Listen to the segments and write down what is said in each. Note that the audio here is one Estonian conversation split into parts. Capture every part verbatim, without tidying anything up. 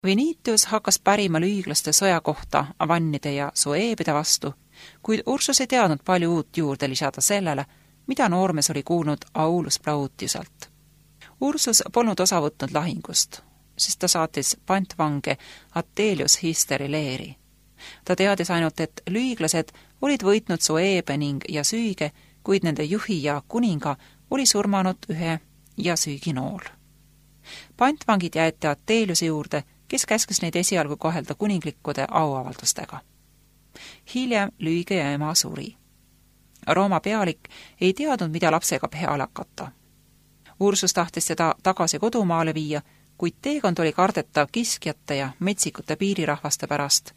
Vinitius hakkas pärima lüiglaste sõja kohta vannide ja sueebide vastu, kuid Ursus ei teadnud palju uut juurde lisada sellele, mida noormees oli kuulnud Aulus Plautiuselt. Ursus polnud osa võtnud lahingust, sest ta saatis pantvange Attelius Histeri leeri. Ta teadis ainult, et lüiglased olid võitnud Sueebe ning ja Süüge, kuid nende juhi ja kuninga oli surmanud ühe ja Süügi nool. Pantvangid jäeti Atteliuse juurde, kes käskis neid esialgu kohelda kuninglikkude auavaldustega. Hiljem Lüüge ja ema suri. Rooma pealik ei teadnud, mida lapsega peale hakata. Ursus tahtis seda tagasi kodumaale viia, kuid teekond oli kardetav kiskjate ja metsikute piirirahvaste pärast.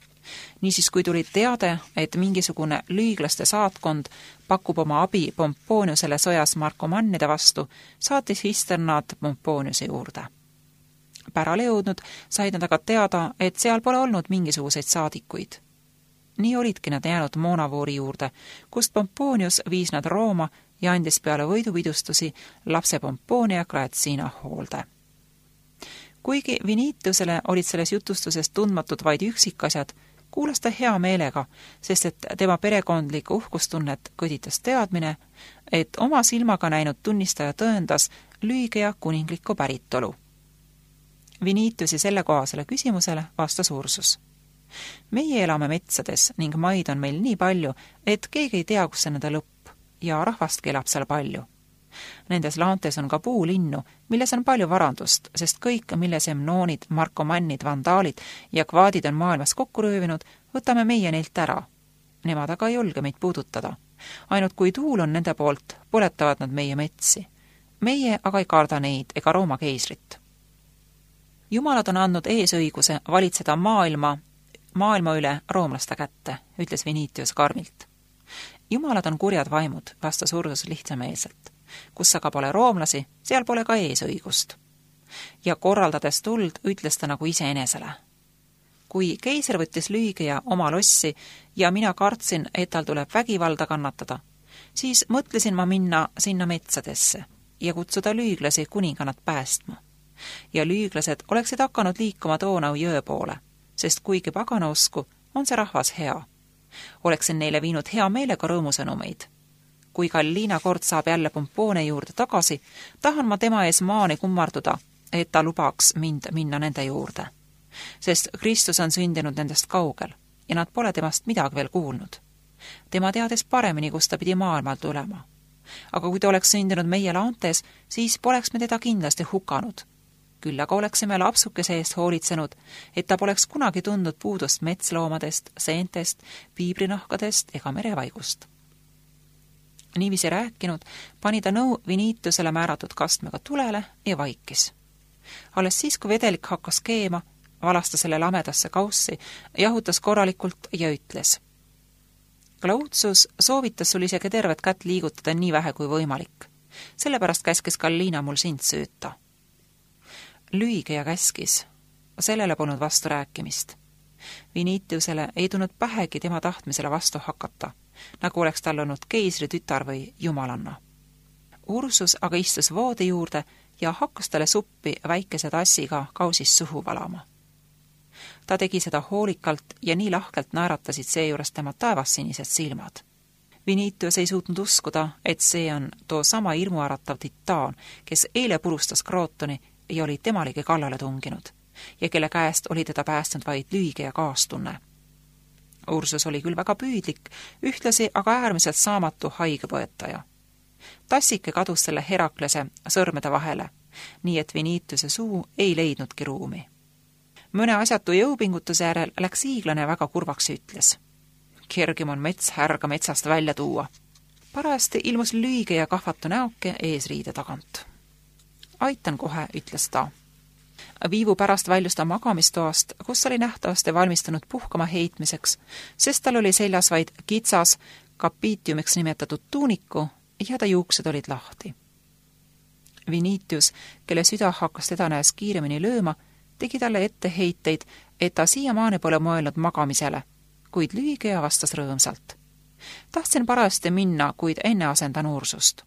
Niisiis, kui tuli teade, et mingisugune lüiglaste saatkond pakub oma abi Pomponiusele sõjas Markomannide vastu, saatis Hister nad Pomponiuse juurde. Pärale jõudnud said nad aga teada, et seal pole olnud mingisuguseid saadikuid. Nii olidki nad jäänud Moonavoori juurde, kust Pomponius viis nad Rooma ja andis peale võidupidustusi lapse Pomponia Graetsiina hoolde. Kuigi Vinitiusele olid selles jutustuses tundmatud vaid üksikasjad, kuulas ta hea meelega, sest et tema perekondlikku uhkustunnet kõditas teadmine, et oma silmaga näinud tunnistaja tõendas Lüügia kuninglikku päritolu. Vinitiusi sellekohasele küsimusele vastas Ursus. Meie elame metsades ning maid on meil nii palju, et keegi ei tea, kus on nende lõpp ja rahvastki elab seal palju. Nendes laantes on ka puulinnu, milles on palju varandust, sest kõik, mille semnoonid, markomannid, vandaalid ja kvaadid on maailmas kokku röövinud, võtame meie neilt ära. Nemad aga ei julge meid puudutada. Ainult kui tuul on nende poolt, põletavad nad meie metsi. Meie aga ei karda neid ega Rooma keisrit. Jumalad on andnud eesõiguse valitseda maailma, maailma üle roomlaste kätte, ütles Vinitius karmilt. Jumalad on kurjad vaimud, vastas Ursus lihtsameelselt. Kus aga pole roomlasi, seal pole ka eesõigust. Ja korraldades tuld, ütles ta nagu iseenesele. Kui keiser võttis Lüügia oma lossi ja mina kartsin, et tal tuleb vägivalda kannatada, siis mõtlesin ma minna sinna metsadesse ja kutsuda lüüglasi kuninganat päästma. Ja lüüglased oleksid hakanud liikuma Doonau jõe poole, sest kuigi pagana usku, on see rahvas hea. Oleksin neile viinud hea meelega rõõmusõnumeid. Kui Galliina kord saab jälle Pompone juurde tagasi, tahan ma tema ees maani kummarduda, et ta lubaks mind minna nende juurde. Sest Kristus on sündinud nendest kaugel ja nad pole temast midagi veel kuulnud. Tema teadis paremini, kus ta pidi maailmal tulema. Aga kui ta oleks sündinud meie laantes, siis poleks me teda kindlasti hukanud. Küll aga oleksime lapsukese eest hoolitsenud, et ta poleks kunagi tundnud puudust metsloomadest, seentest, piibrinahkadest ega merevaigust. Niiviisi rääkinud, pani ta nõu Vinitiusele määratud kastmega tulele ja vaikis. Alles siis, kui vedelik hakkas keema, valastas selle lamedasse kaussi, jahutas korralikult ja ütles. Plautius soovitas sul isegi tervet kätt liigutada nii vähe kui võimalik. Sellepärast käskis Galliina mul sind süüta. Lüügia käskis. Sellele polnud vastu rääkimist. Vinitiusele ei tulnud pähegi tema tahtmisele vastu hakata, nagu oleks tal olnud keisri tütar või jumalanna. Ursus aga istus voodi juurde ja hakkas talle suppi väikese tassiga kausis suhu valama. Ta tegi seda hoolikalt ja nii lahkelt naeratasid seejuures tema taevassinised silmad. Vinitius ei suutnud uskuda, et see on too sama irmuäratav titaan, kes eile purustas Krootoni ja oli temalegi kallale tunginud ja kelle käest oli teda päästnud vaid Lüügia kaastunne. Ursus oli küll väga püüdlik, ühtlasi aga äärmiselt saamatu haigepõetaja. Tassike kadus selle Heraklese sõrmede vahele, nii et Vinitiuse suu ei leidnudki ruumi. Mõne asjatu jõupingutuse järel läks hiiglane väga kurvaks ja ütles. Kergim on mets härga metsast välja tuua. Parajasti ilmus Lüügia ja kahvatu näoke eesriide tagant. Aitan kohe, ütles ta. Viivu pärast väljus ta magamistoast, kus oli nähtavasti valmistunud puhkama heitmiseks, sest tal oli seljas vaid kitsas, kapiitiumiks nimetatud tuuniku ja ta juuksed olid lahti. Vinitius, kelle süda hakkas teda näes kiiremini lööma, tegi talle etteheiteid, et ta siiamaani pole mõelnud magamisele, kuid Lüügia vastas rõõmsalt. Tahtsin parajasti minna, kuid enne asendan Ursust.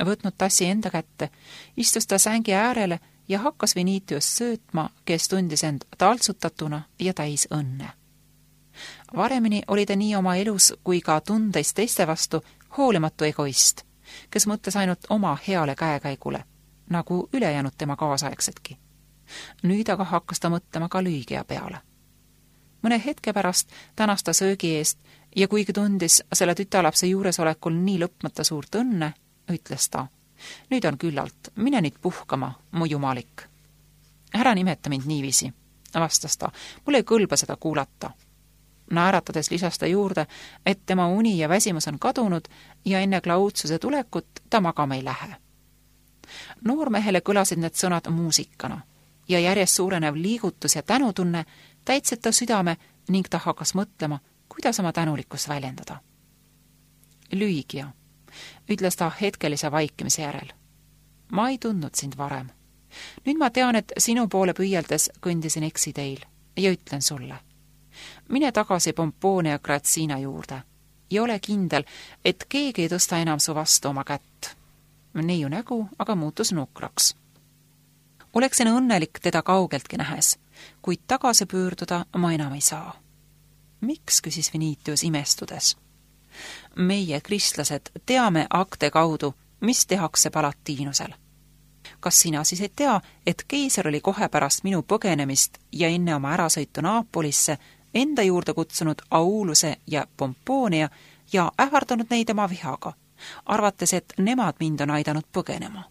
Võtnud tassi enda kätte, istus ta sängi äärele ja hakkas Vinitius söötma, kes tundis end taltsutatuna ja täis õnne. Varemini oli ta nii oma elus kui ka tundeis teiste vastu hoolimatu egoist, kes mõtles ainult oma heale käekäigule, nagu ülejäänud tema kaasaegsedki. Nüüd aga hakkas ta mõtlema ka Lüügia peale. Mõne hetke pärast tänas ta söögi eest ja kuigi tundis selle tütarlapse juuresolekul nii lõpmata suurt õnne, ütles ta: nüüd on küllalt, mine nüüd puhkama, mu jumalik. Ära nimeta mind niiviisi, vastas ta, mul ei kõlba seda kuulata. Naeratades lisas ta juurde, et tema uni ja väsimus on kadunud ja enne Klaudsuse tulekut ta magama ei lähe. Noormehele kõlasid need sõnad muusikana ja järjest suurenev liigutus ja tänutunne täitsid ta südame ning ta hakkas mõtlema, kuidas oma tänulikkust väljendada. Lüügia, ütles ta hetkelise vaikimise järel. Ma ei tundnud sind varem. Nüüd ma tean, et sinu poole püüeldes kõndisin eksiteil ja ütlen sulle. Mine tagasi Pomponia Grazina juurde ja ole kindel, et keegi ei tõsta enam su vastu oma kätt. Neiu nägu aga muutus nukraks. Oleksin õnnelik teda kaugeltki nähes, kuid tagasi pöörduda ma enam ei saa. Miks, küsis Vinitius imestudes. Meie, kristlased, teame akte kaudu, mis tehakse Palatiinusel. Kas sina siis ei tea, et keiser oli kohe pärast minu põgenemist ja enne oma ärasõitu Naapolisse enda juurde kutsunud Auluse ja Pomponia ja ähvardanud neid oma vihaga, arvates, et nemad mind on aidanud põgenema?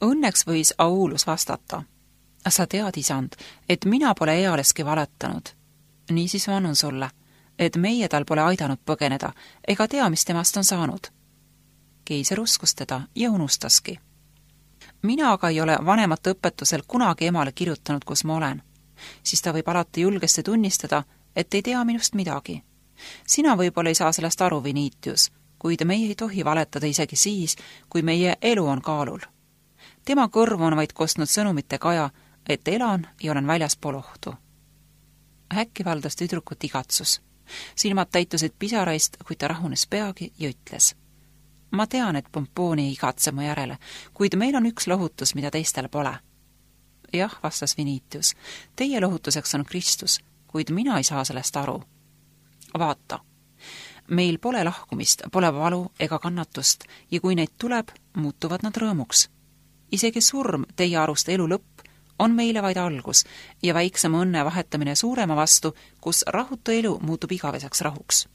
Õnneks võis Aulus vastata. Sa tead, isand, et mina pole ealeski valetanud. Niisiis vanun sulle, et meie tal pole aidanud põgeneda ega tea, mis temast on saanud. Keiser uskus teda ja unustaski. Mina aga ei ole vanemate õpetusel kunagi emale kirjutanud, kus ma olen. Siis ta võib alati julgesti tunnistada, et ei tea minust midagi. Sina võib-olla ei saa sellest aru, Vinitius, kuid meie ei tohi valetada isegi siis, kui meie elu on kaalul. Tema kõrvu on vaid kostnud sõnumite kaja, et elan ja olen väljaspool ohtu. Äkki valdas tüdrukut igatsus. Silmad täitusid pisaraist, kuid ta rahunes peagi ja ütles. Ma tean, et Pomponia ei igatse mu järele, kuid meil on üks lohutus, mida teistel pole. Jah, vastas Vinitius, teie lohutuseks on Kristus, kuid mina ei saa sellest aru. Vaata, meil pole lahkumist, pole valu ega kannatust ja kui neid tuleb, muutuvad nad rõõmuks. Isegi surm, teie arust elu lõpp, on meile vaid algus ja väiksem õnne vahetamine suurema vastu, kus rahutu elu muutub igaveseks rahuks.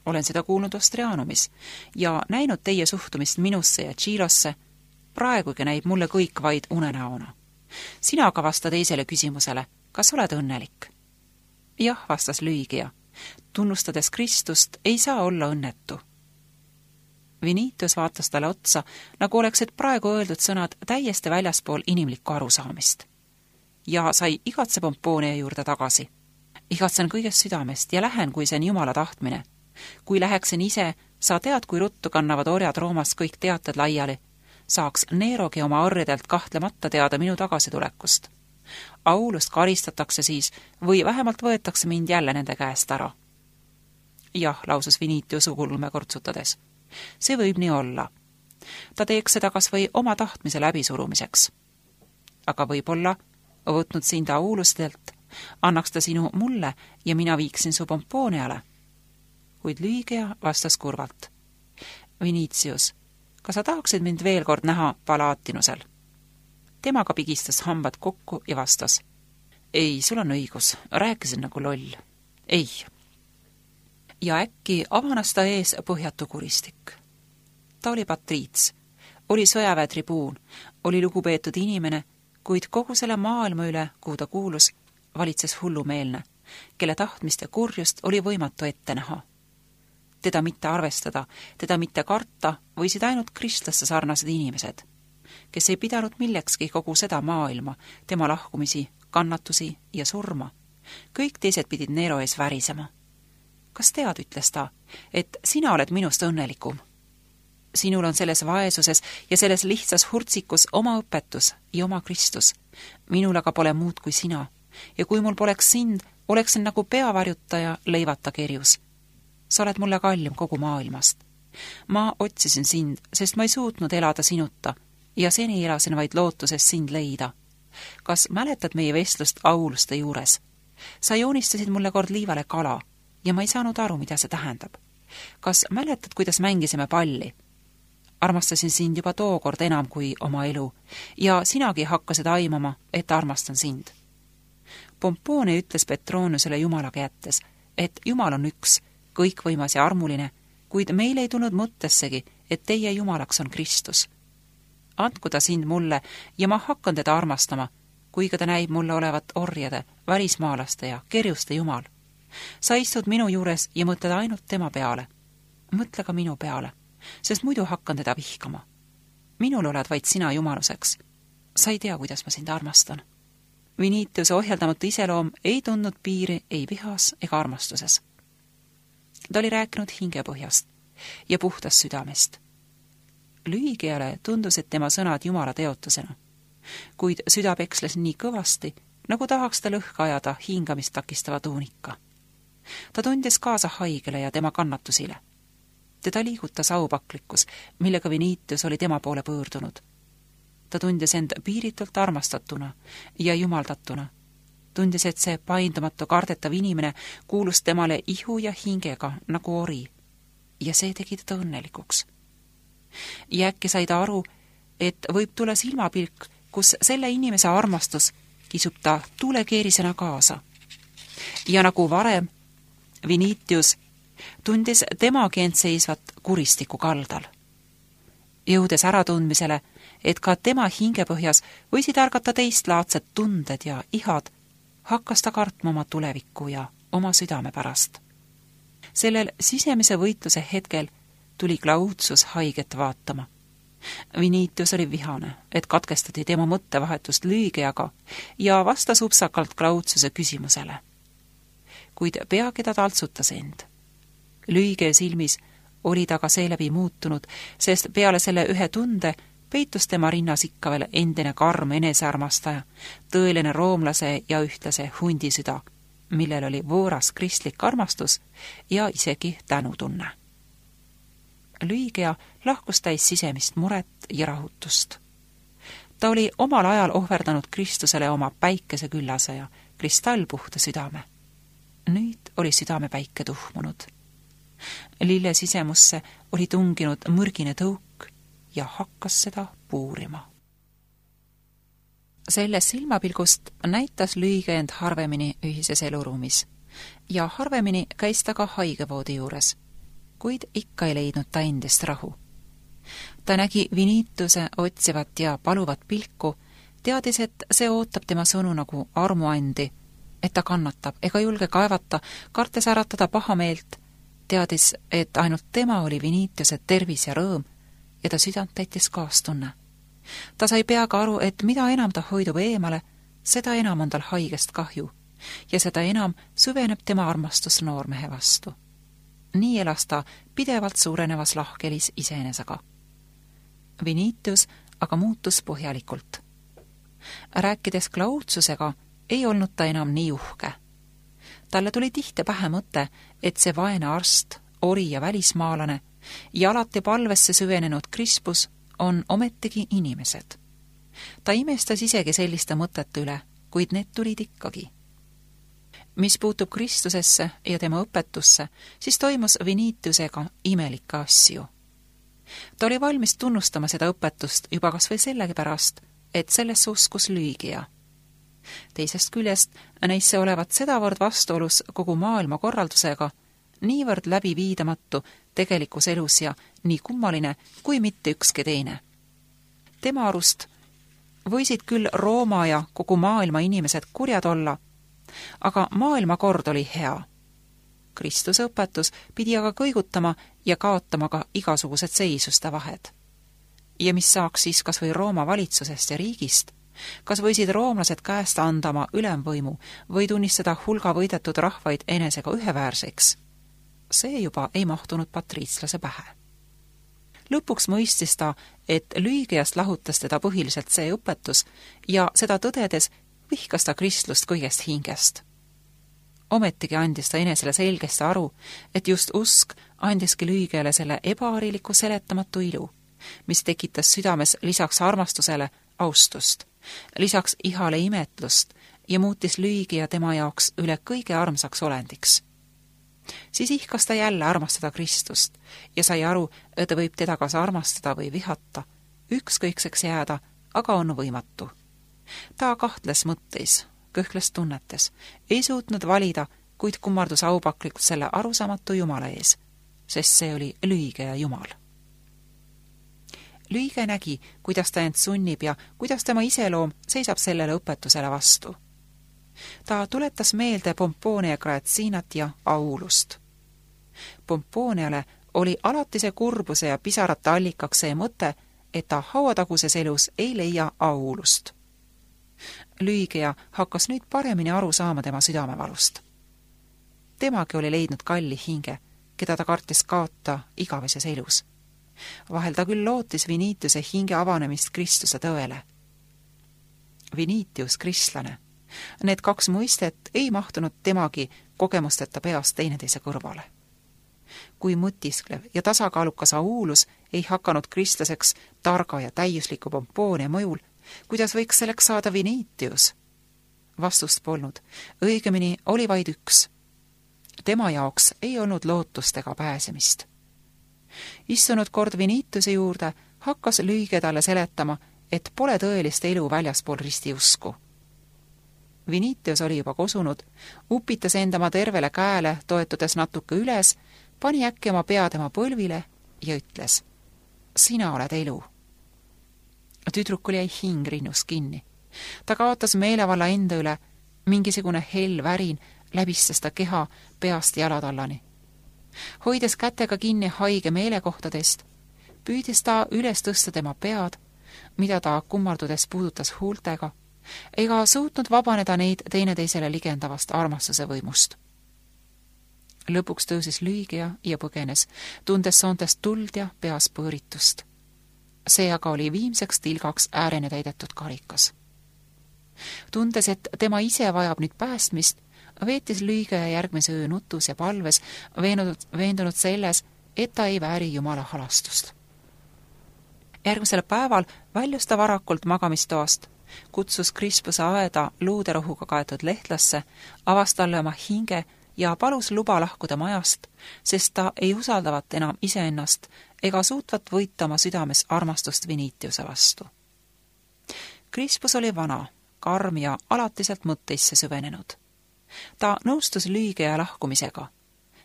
Olen seda kuulnud Ostrianumis ja näinud teie suhtumist minusse ja Tšiilosse. Praegugi näib mulle kõik vaid unenäona. Sina aga vasta teisele küsimusele, kas oled õnnelik? Jah, vastas Lüügia. Tunnustades Kristust ei saa olla õnnetu. Vinitius vaatas talle otsa, nagu oleksid praegu öeldud sõnad täiesti väljaspool inimlikku arusaamist. Ja sai igatse Pomponia juurde tagasi. Igatsen kõigest südamest ja lähen, kui see on Jumala tahtmine. Kui läheksin ise, sa tead, kui ruttu kannavad orjad Roomast kõik teated laiali. Saaks Nerogi oma orjadelt kahtlemata teada minu tagasitulekust. Aulust karistatakse siis või vähemalt võetakse mind jälle nende käest ära. Jah, lausus Vinitius ukulme kortsutades. See võib nii olla. Ta teeks seda kas või oma tahtmise läbisurumiseks. Aga võib-olla, võtnud sind Aulustelt, annaks ta sinu mulle ja mina viiksin su Pomponiale. Kuid Lüügia vastas kurvalt. Vinitius, kas sa tahaksid mind veel kord näha Palatinusel? Temaga pigistas hambad kokku ja vastas. Ei, sul on õigus, rääkisin nagu loll. Ei. Ja äkki avanas ta ees põhjatu kuristik. Ta oli patriits, oli sõjaväe tribuun, oli lugupeetud inimene, kuid kogu selle maailma üle, kuhu ta kuulus, valitses hullumeelne, kelle tahtmist ja kurjust oli võimatu ette näha. Teda mitte arvestada, teda mitte karta võisid ainult kristlasse sarnased inimesed, kes ei pidanud millekski kogu seda maailma, tema lahkumisi, kannatusi ja surma. Kõik teised pidid Nero ees värisema. Kas tead, ütles ta, et sina oled minust õnnelikum? Sinul on selles vaesuses ja selles lihtsas hurtsikus oma õpetus ja oma Kristus. Minul aga pole muud kui sina. Ja kui mul poleks sind, oleksin nagu peavarjutaja leivata kerjus. Sa oled mulle kallim kogu maailmast. Ma otsisin sind, sest ma ei suutnud elada sinuta ja seni elasin vaid lootuses sind leida. Kas mäletad meie vestlust Auluste juures? Sa joonistasid mulle kord liivale kala ja ma ei saanud aru, mida see tähendab. Kas mäletad, kuidas mängisime palli? Armastasin sind juba tookord enam kui oma elu ja sinagi hakkasid aimama, et armastan sind. Pompoone ütles Petroniusele Jumalaga jättes, et Jumal on üks, kõikvõimas ja armuline, kuid meil ei tulnud mõttessegi, et teie Jumalaks on Kristus. Andku ta sind mulle ja ma hakkan teda armastama, kuiga ta näib mulle olevat orjade, välismaalaste ja kerjuste Jumal. Sa istud minu juures ja mõtled ainult tema peale. Mõtle ka minu peale, sest muidu hakkan teda vihkama. Minul oled vaid sina jumaluseks. Sa ei tea, kuidas ma sind armastan. Vinitiuse ohjeldamatu iseloom ei tundnud piiri ei vihas ega armastuses. Ta oli rääkinud hingepõhjast ja puhtast südamest. Lüigiale tundus, et tema sõnad Jumala teotusena, kuid süda peksles nii kõvasti, nagu tahaks ta lõhka ajada hingamist takistava tuunika. Ta tundis kaasa haigele ja tema kannatusile. Teda liigutas aupaklikkus, millega Vinitius oli tema poole pöördunud. Ta tundis end piiritult armastatuna ja jumaldatuna. Tundis, et see paindumatu kardetav inimene kuulus temale ihu ja hingega nagu ori ja see tegi teda õnnelikuks. Ja äkki sai ta aru, et võib tulla silmapilk, kus selle inimese armastus kisub ta tuulekeerisena kaasa. Ja nagu varem, Vinitius tundis temagi end seisvat kuristiku kaldal. Jõudes äratundmisele, et ka tema hingepõhjas võisid ärgata teistlaadsed tunded ja ihad, hakkas ta kartma oma tulevikku ja oma südame pärast. Sellel sisemise võitluse hetkel tuli Claudius haiget vaatama. Vinitius oli vihane, et katkestati tema mõttevahetust Lüigiaga ja vastas upsakalt Claudiuse küsimusele. Kuid peagi ta taltsutas end. Lüige silmis oli ta ka seeläbi muutunud, sest peale selle ühe tunde peitus tema rinnas ikka veel endine karm enesearmastaja, tõeline roomlase ja ühtlase hundisüda, millel oli võõras kristlik armastus ja isegi tänutunne. Lüigia lahkus täis sisemist muret ja rahutust. Ta oli omal ajal ohverdanud Kristusele oma päikese küllase ja kristallpuhta südame. Nüüd oli südame päike tuhmunud. Lille sisemusse oli tunginud mõrgine tõuk ja hakkas seda puurima. Sellest silmapilgust näitas Lüige end harvemini ühises eluruumis ja harvemini käis ta ka haigevoodi juures, kuid ikka ei leidnud ta endist rahu. Ta nägi Vinituse otsivat ja paluvat pilku, teadis, et see ootab tema sõnu nagu armuandi, et ta kannatab ega julge kaevata, kartes äratada pahameelt, teadis, et ainult tema oli Vinituse tervis ja rõõm ja ta südant täitis kaastunne. Ta sai peaga aru, et mida enam ta hoidub eemale, seda enam on tal haigest kahju ja seda enam süveneb tema armastus noormehe vastu. Nii elas ta pidevalt suurenevas lahkelis iseenesega. Vinitius aga muutus põhjalikult. Rääkides Claudiusega ei olnud ta enam nii uhke. Talle tuli tihti pähe mõte, et see vaene arst, ori ja välismaalane ja alati palvesse süvenenud Krispus on ometigi inimesed. Ta imestas isegi selliste mõtete üle, kuid need tulid ikkagi. Mis puutub Kristusesse ja tema õpetusse, siis toimus Vinitiusega imelikke asju. Ta oli valmis tunnustama seda õpetust juba kas või sellepärast, et sellesse uskus Lüigia. Teisest küljest näis see olevat sedavõrd vastuolus kogu maailma korraldusega, niivõrd läbiviidamatu tegelikus elus ja nii kummaline kui mitte ükski teine. Tema arust võisid küll Rooma ja kogu maailma inimesed kurjad olla, aga maailmakord oli hea. Kristuse õpetus pidi aga kõigutama ja kaotama ka igasugused seisuste vahed. Ja mis saaks siis kas või Rooma valitsusest ja riigist? Kas võisid roomlased käest anda oma ülemvõimu või tunnistada hulga võidetud rahvaid enesega üheväärseks? See juba ei mahtunud patriitslase pähe. Lõpuks mõistis ta, et Lüigiast lahutas teda põhiliselt see õpetus ja seda tõdedes vihkas ta kristlust kõigest hingest. Ometigi andis ta enesele selgesti aru, et just usk andiski Lüigiale selle ebahariliku seletamatu ilu, mis tekitas südames lisaks armastusele austust, lisaks ihale imetlust ja muutis Lüügia tema jaoks üle kõige armsaks olendiks. Siis ihkas ta jälle armastada Kristust ja sai aru, et võib teda kas armastada või vihata, ükskõikseks jääda, aga on võimatu. Ta kahtles mõtteis, kõhkles tunnetes, ei suutnud valida, kuid kummardus aupaklikult selle arusaamatu Jumala ees, sest see oli Lüügia Jumal. Lüügia nägi, kuidas ta end sunnib ja kuidas tema iseloom seisab sellele õpetusele vastu. Ta tuletas meelde Pompoonia Graetsinat ja Aulust. Pompooniale oli alatise kurbuse ja pisarate allikaks see mõte, et ta hauataguses elus ei leia Aulust. Lüügia hakkas nüüd paremini aru saama tema südamevalust. Temagi oli leidnud kalli hinge, keda ta kartis kaota igaveses elus. Vahel ta küll lootis Vinitiuse hinge avanemist Kristuse tõele. Vinitius, kristlane. Need kaks mõistet ei mahtunud temagi kogemusteta peast teineteise kõrvale. Kui mõtisklev ja tasakaalukas Aulus ei hakanud kristlaseks targa ja täiusliku Pompoonia mõjul, kuidas võiks selleks saada Vinitius? Vastust polnud, õigemini oli vaid üks. Tema jaoks ei olnud lootust ega pääsemist. Istunud kord Vinitiuse juurde, hakkas Lüügia talle seletama, et pole tõelist elu väljaspool ristiusku. Vinitius oli juba kosunud, upitas endama tervele käele, toetudes natuke üles, pani äkki oma pea tema põlvile ja ütles: sina oled elu. Tüdrukul jäi hing rinnus kinni. Ta kaotas meelevalla enda üle, mingisugune hell värin läbistas ta keha peast jalatallani. Hoides kätega kinni haige meelekohtadest, püüdis ta üles tõsta tema pead, mida ta kummardudes puudutas huultega, ega suutnud vabaneda neid teineteisele ligendavast armastuse võimust. Lõpuks tõusis Lüügia ja põgenes, tundes soontest tuld ja peas põõritust. See aga oli viimseks tilgaks äärene täidetud karikas. Tundes, et tema ise vajab nüüd päästmist, veetis Lüügia järgmise öö nutus ja palves, veendunud, veendunud selles, et ta ei vääri Jumala halastust. Järgmisel päeval väljus ta varakult magamistoast, kutsus Krispuse aeda luuderohuga kaetud lehtlasse, avas talle oma hinge ja palus luba lahkuda majast, sest ta ei usaldavat enam iseennast ega suutvat võita oma südames armastust Vinitiuse vastu. Krispus oli vana, karm ja alatiselt mõtteisse süvenenud. Ta nõustus Lüügia lahkumisega,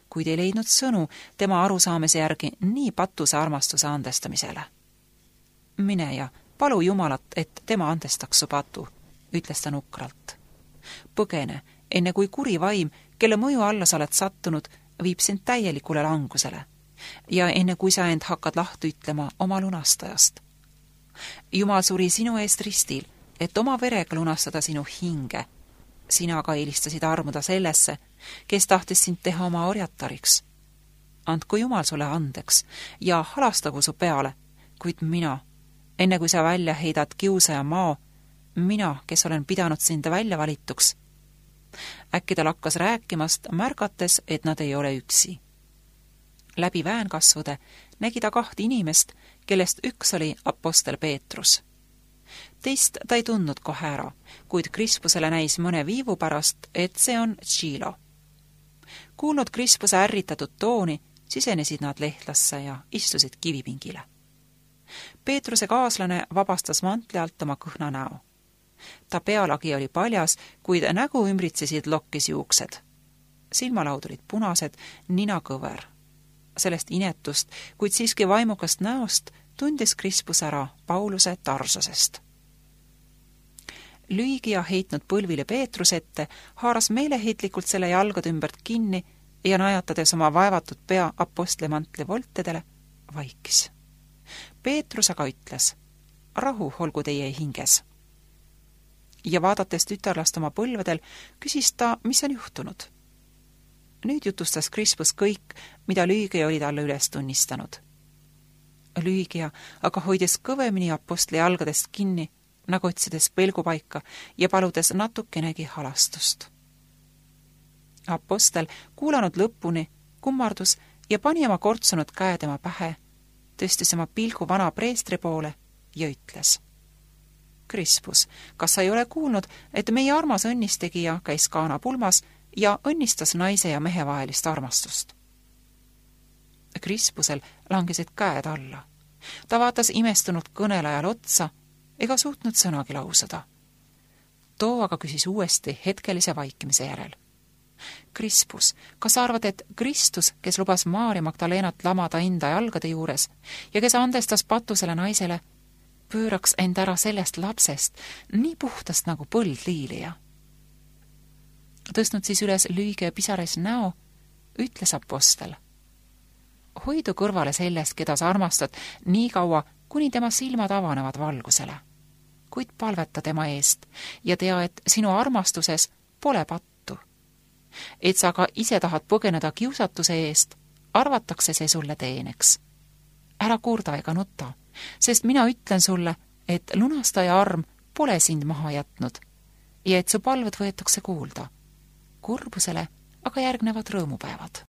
kuid ei leidnud sõnu tema arusaamise järgi nii patuse armastuse andestamisele. Mine ja palu Jumalat, et tema andestaks su patu, ütles ta nukralt. Põgene, enne kui kuri vaim, kelle mõju alla sa oled sattunud, viib sind täielikule langusele ja enne kui sa end hakkad lahti ütlema oma lunastajast. Jumal suri sinu eest ristil, et oma verega lunastada sinu hinge. Sina aga eelistasid armuda sellesse, kes tahtis sind teha oma orjatariks. Andku Jumal sulle andeks ja halastagu su peale, kuid mina, enne kui sa välja heidad kiusaja maa, mina, kes olen pidanud sind välja valituks. Äkki ta lakkas rääkimast, märgates, et nad ei ole üksi. Läbi väänkasvude nägi ta kaht inimest, kellest üks oli apostel Peetrus. Teist ta ei tundnud kohe ära, kuid Krispusele näis mõne viivu pärast, et see on Tšilo. Kuulnud Krispuse ärritatud tooni, sisenesid nad lehtlasse ja istusid kivipingile. Peetruse kaaslane vabastas mantli alt oma kõhna näo. Ta pealagi oli paljas, kuid nägu ümbritsesid lokkis juuksed. Silmalaud olid punased, nina kõver. Sellest inetust, kuid siiski vaimukast näost tundis Krispus ära Pauluse Tarsosest. Lüügia heitnud põlvile Peetrus ette, haaras meeleheitlikult selle jalgade ümbert kinni ja najatades oma vaevatud pea apostlimantli voltedele, vaikis. Peetrus aga ütles: rahu olgu teie hinges. Ja vaadates tütarlast oma põlvedel, küsis ta, mis on juhtunud. Nüüd jutustas Krispus kõik, mida Lüügia oli talle üles tunnistanud. Lüügia aga hoides kõvemini apostli jalgadest kinni, nagu otsides pelgupaika ja paludes natukenegi halastust. Apostel, kuulanud lõpuni, kummardus ja pani oma kortsunud käe tema pähe tõstis oma pilgu vana preestri poole ja ütles: Krispus, kas sa ei ole kuulnud, et meie armas õnnistegija käis Kaana pulmas ja õnnistas naise ja mehe vahelist armastust? Krispusel langesid käed alla. Ta vaatas imestunud kõnelajal otsa ega suutnud sõnagi lausada. Too aga küsis uuesti hetkelise vaikimise järel: Krispus, kas sa arvad, et Kristus, kes lubas Maarja Magdalenat lamada enda jalgade juures ja kes andestas patusele naisele, pööraks end ära sellest lapsest, nii puhtast nagu põldliilija? Tõstnud siis üles lüüge ja pisares näo, ütles apostel: hoidu kõrvale sellest, keda sa armastad, nii kaua, kuni tema silmad avanevad valgusele. Kuid palveta tema eest ja tea, et sinu armastuses pole pattu. Et sa ka ise tahad põgeneda kiusatuse eest, arvatakse see sulle teeneks. Ära kurda ega nuta, sest mina ütlen sulle, et lunastaja arm pole sind maha jätnud ja et su palved võetakse kuulda. Kurbusele aga järgnevad rõõmupäevad.